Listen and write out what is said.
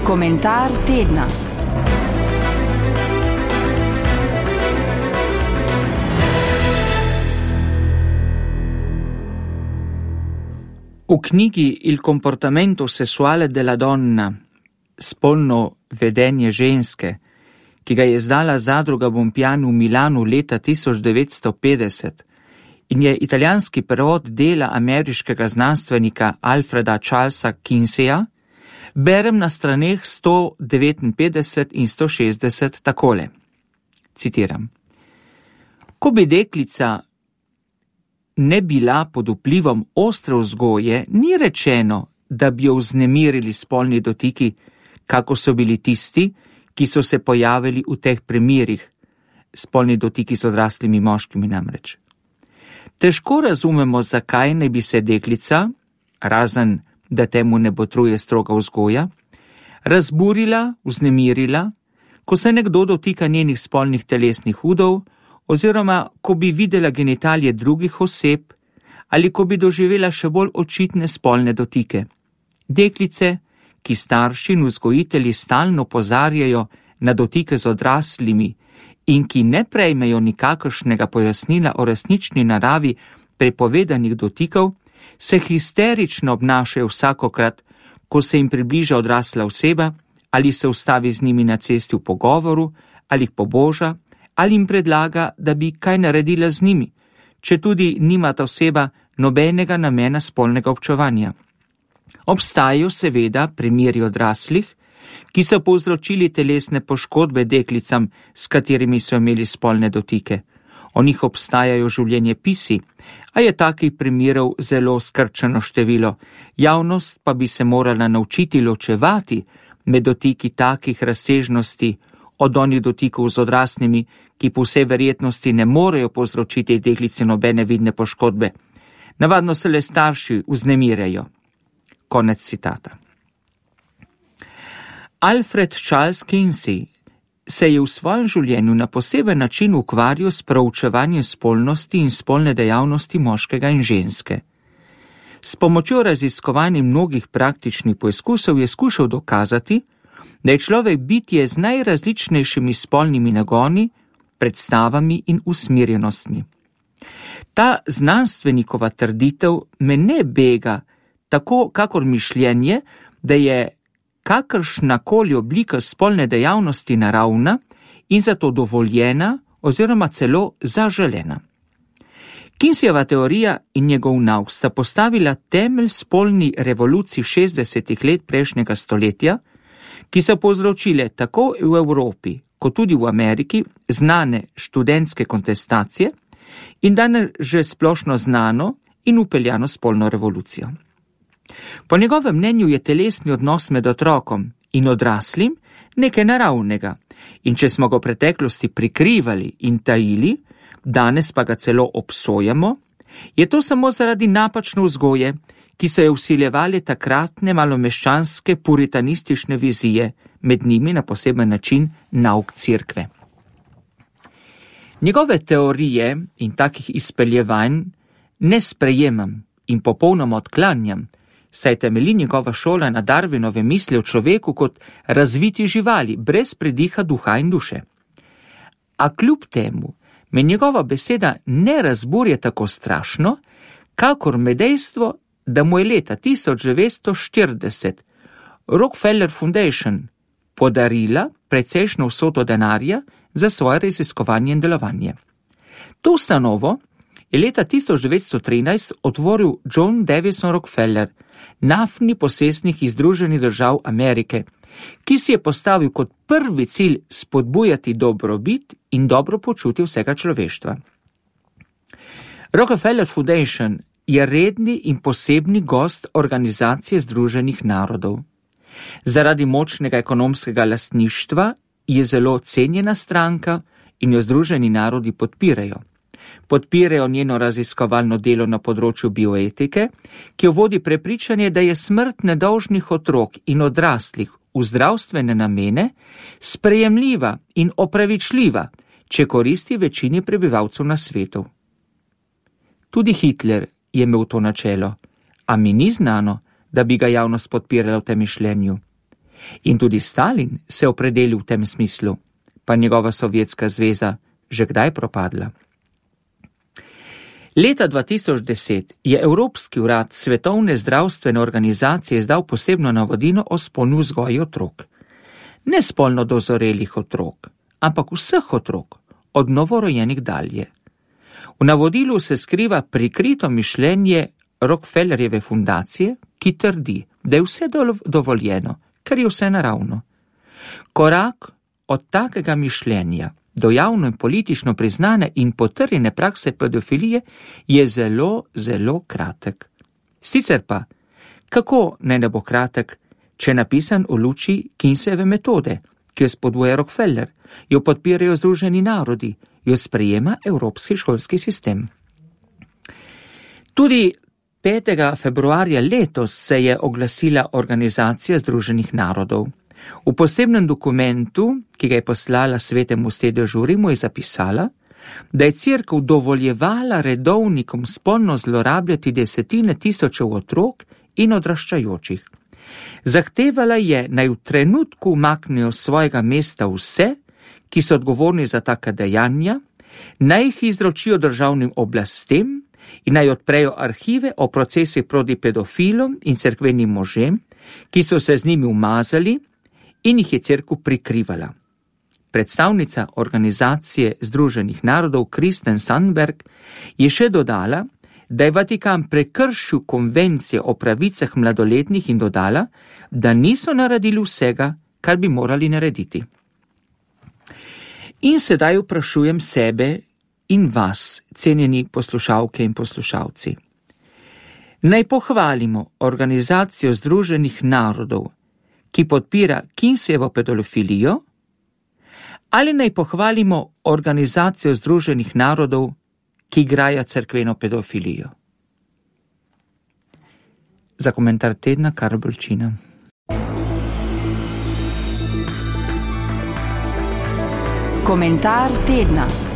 Komentar tedna. V knjigi Il comportamento sessuale della donna, spolno vedenje ženske, ki ga je izdala zadruga Bompiani v Milanu leta 1950 in je italijanski prevod dela ameriškega znanstvenika Alfreda Charlesa Kinseya, berem na straneh 159 in 160 takole. Citiram. Ko bi deklica ne bila pod vplivom ostre vzgoje, ni rečeno, da bi jo vznemirili spolni dotiki, kako so bili tisti, ki so se pojavili v teh primerih, spolni dotiki z odraslimi moškimi namreč. Težko razumemo, zakaj ne bi se deklica, razen da temu ne botruje stroga vzgoja, razburila, vznemirila, ko se nekdo dotika njenih spolnih telesnih udov, oziroma ko bi videla genitalije drugih oseb ali ko bi doživela še bolj očitne spolne dotike. Deklice, ki starši in vzgojitelji stalno opozarjajo na dotike z odraslimi in ki ne prejmejo nikakršnega pojasnila o resnični naravi prepovedanih dotikov, se histerično obnašajo vsakokrat, ko se jim približa odrasla oseba ali se ustavi z njimi na cesti v pogovoru ali jih poboža ali jim predlaga, da bi kaj naredila z njimi, če tudi nima ta oseba nobenega namena spolnega občevanja. Obstajajo seveda primeri odraslih, ki so povzročili telesne poškodbe deklicam, s katerimi so imeli spolne dotike. O njih obstajajo življenjepisi, a je takih primerov zelo skrčeno število. Javnost pa bi se morala naučiti ločevati med dotiki takih razsežnosti od onih dotikov z odraslimi, ki po vsej verjetnosti ne morejo povzročiti deklici nobene vidne poškodbe. Navadno se le starši vznemirjajo. Konec citata. Alfred Charles Kinsey se je v svojem življenju na poseben način ukvarjal s proučevanjem spolnosti in spolne dejavnosti moškega in ženske. S pomočjo raziskovanj mnogih praktičnih poizkusov je skušal dokazati, da je človek bitje z najrazličnejšimi spolnimi nagoni, predstavami in usmerjenostmi. Ta znanstvenikova trditev me ne bega, tako kakor mišljenje, da je kakršnakoli oblika spolne dejavnosti naravna in zato dovoljena oziroma celo zaželena. Kinseyjeva teorija in njegov nauk sta postavila temelj spolni revoluciji 60. let prejšnjega stoletja, ki so povzročile tako v Evropi kot tudi v Ameriki znane študentske kontestacije in danes že splošno znano in upeljano spolno revolucijo. Po njegovem mnenju je telesni odnos med otrokom in odraslim nekaj naravnega in če smo ga v preteklosti prikrivali in tajili, danes pa ga celo obsojamo, je to samo zaradi napačne vzgoje, ki so jo vsiljevali takratne malomeščanske puritanistične vizije, med njimi na poseben način nauk cerkve. Njegove teorije in takih izpeljevanj ne sprejemam in popolnoma odklanjam, saj temelji njegova šola na Darwinove misli o človeku kot razviti živali, brez prediha duha in duše. A kljub temu me njegova beseda ne razburja tako strašno, kakor me dejstvo, da mu je leta 1940 Rockefeller Foundation podarila precejšnjo vsoto denarja za svoje raziskovanje in delovanje. To ustanovo je leta 1913 otvoril John Davison Rockefeller, naftni posestnik iz Združenih držav Amerike, ki si je postavil kot prvi cilj spodbujati dobrobit in dobro počutje vsega človeštva. Rockefeller Foundation je redni in posebni gost Organizacije Združenih narodov. Zaradi močnega ekonomskega lastništva je zelo cenjena stranka in jo Združeni narodi podpirajo. Podpirajo njeno raziskovalno delo na področju bioetike, ki jo vodi prepričanje, da je smrt nedolžnih otrok in odraslih v zdravstvene namene sprejemljiva in opravičljiva, če koristi večini prebivalcev na svetu. Tudi Hitler je imel to načelo, a mi ni znano, da bi ga javnost podpirala v tem mišljenju. In tudi Stalin se opredelil v tem smislu, pa njegova Sovjetska zveza že kdaj propadla. Leta 2010 je Evropski urad Svetovne zdravstvene organizacije izdal posebno navodilo o spolni vzgoji otrok. Ne spolno dozorelih otrok, ampak vseh otrok, od novorojenih dalje. V navodilu se skriva prikrito mišljenje Rockefellerjeve fundacije, ki trdi, da je vse dovoljeno, ker je vse naravno. Korak od takega mišljenja do javno in politično priznane in potrjene prakse pedofilije je zelo, zelo kratek. Sicer pa, kako ne bo kratek, če je napisan v luči Kinsejeve metode, ki jo spodbuja Rockefeller, jo podpirajo Združeni narodi, jo sprejema evropski šolski sistem. Tudi 5. februarja letos se je oglasila Organizacija Združenih narodov. V posebnem dokumentu, ki ga je poslala Svetemu sedežu v Rimu, je zapisala, da je Cerkev dovoljevala redovnikom spolno zlorabljati desetine tisočev otrok in odraščajočih. Zahtevala je, naj v trenutku umaknejo svojega mesta vse, ki so odgovorni za taka dejanja, naj jih izročijo državnim oblastem in naj odprejo arhive o procesih proti pedofilom in cerkvenim možem, ki so se z njimi umazali in jih je cerkev prikrivala. Predstavnica Organizacije Združenih narodov Kristen Sandberg je še dodala, da je Vatikan prekršil konvencije o pravicah mladoletnih in dodala, da niso naredili vsega, kar bi morali narediti. In sedaj vprašujem sebe in vas, cenjeni poslušalke in poslušalci. Naj pohvalimo Organizacijo Združenih narodov, ki podpira Kinsejevo pedofilijo, ali naj pohvalimo Organizacijo Združenih narodov, ki graja cerkveno pedofilijo? Za komentar tedna Karl Bolčina. Komentar tedna.